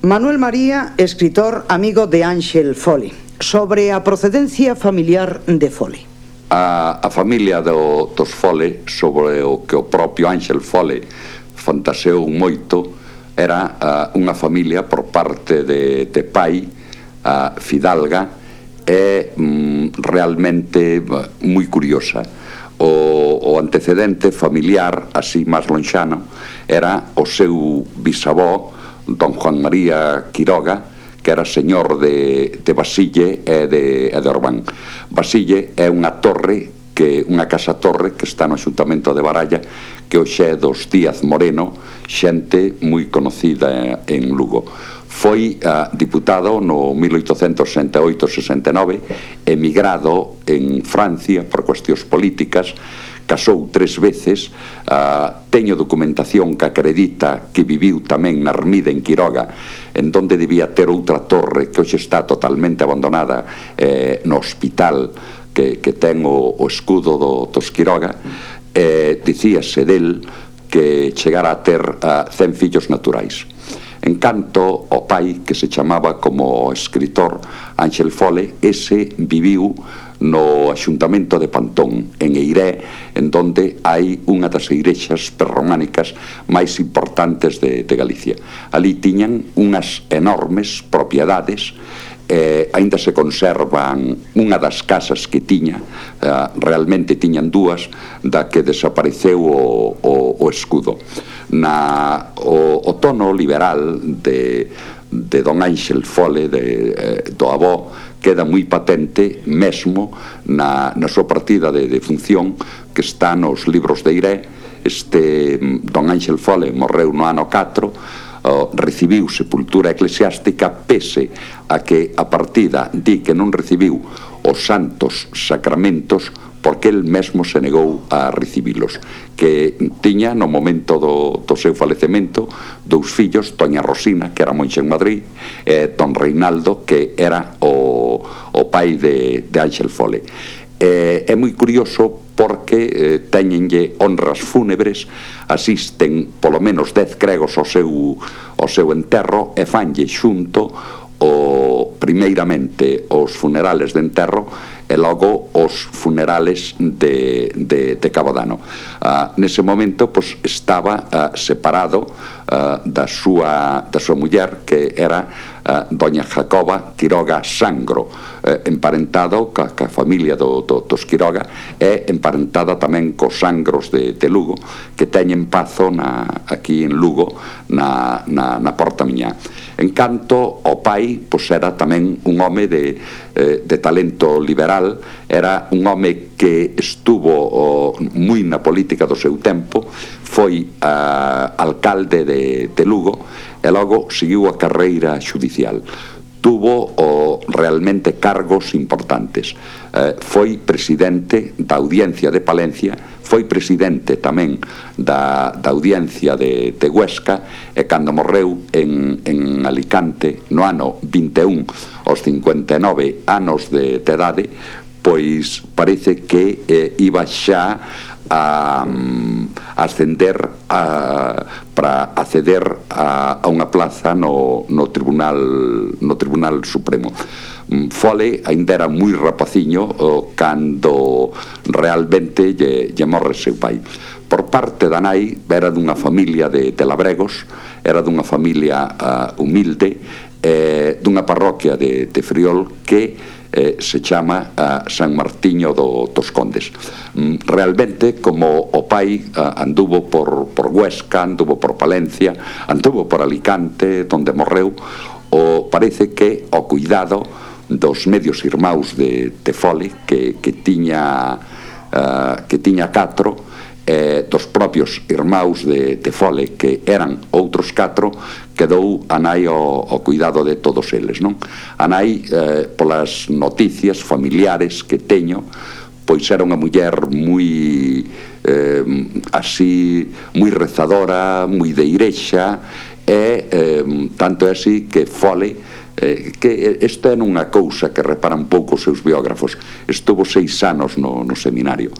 Manuel María, escritor amigo de Ángel Foley, sobre a procedencia familiar de Foley. A familia dos Foley, sobre o que o propio Ángel Foley fantaseou moito, era unha familia por parte de pai, fidalga, e realmente moi curiosa. O antecedente familiar, así máis lonxano, era o seu bisavó, don Juan María Quiroga, que era señor de Basille e de Orbán. Basille é unha casa-torre que está no Axuntamento de Baralla, que hoxe é dos Díaz Moreno, xente moi conocida en Lugo. Foi diputado no 1868-69, emigrado en Francia por cuestións políticas, casou 3 veces, teño documentación que acredita que viviu tamén na ermida en Quiroga, en donde debía ter outra torre que hoxe está totalmente abandonada no hospital que ten o escudo dos Quiroga. Dicíase del que chegara a ter 100 fillos naturais. En canto ao pai, que se chamaba como escritor Ángel Foley, ese viviu no Axuntamento de Pantón, en Eiré, en donde hai unha das igrexas prerrománicas máis importantes de Galicia. Ali tiñan unhas enormes propiedades, aínda se conservan unha das casas que tiña, realmente tiñan dúas, da que desapareceu o escudo. O tono liberal de don Ángel Foley, do avó, queda moi patente mesmo na súa partida de función, que está nos libros de Eiré. Don Ángel Foley morreu no ano 4, recibiu sepultura eclesiástica, pese a que a partida di que non recibiu os santos sacramentos porque el mesmo se negou a recibilos, que tiña no momento do seu falecemento 2 fillos, doña Rosina, que era monxa en Madrid, e don Reinaldo, que era o pai de Ángel Foley. É moi curioso porque teñenlle honras fúnebres, asisten polo menos 10 gregos ao seu enterro, e fanlle xunto primeiramente os funerales de enterro e logo os funerales de Cabodano. Nese momento estaba separado da súa muller, que era doña Jacoba Quiroga Sangro, emparentado ca familia dos Quiroga, e emparentada tamén cos Sangros de Lugo, que teñen pazo aquí en Lugo, na Porta Miñá. En canto ao pai, era tamén un home de talento liberal, era un home que estuvo moi na política do seu tempo, foi alcalde de Lugo e logo seguiu a carreira xudicial. Tuvo realmente cargos importantes. Foi presidente da Audiencia de Palencia, foi presidente tamén da Audiencia de Huesca, e cando morreu en Alicante no ano 21, aos 59 anos de idade, pois parece que iba xa a ascender para acceder a unha plaza no Tribunal Supremo. Foley aínda era moi rapaciño cando realmente lle morre seu pai. Por parte da nai, era dunha familia de labregos, era dunha familia humilde, dunha parroquia de Friol que se chama San Martiño dos Condes. Realmente, como o pai anduvo por Huesca, anduvo por Palencia, anduvo por Alicante, donde morreu, parece que o cuidado dos medios irmáus de Foley, que tiña 4, dos propios irmáus de Foley, que eran outros 4, quedou a nai ao cuidado de todos eles, non? A nai, polas noticias familiares que teño, pois era unha muller moi rezadora, moi de igrexa, e tanto é así que Foley, que esta é unha cousa que reparan pouco os seus biógrafos, estuvo 6 anos no seminario.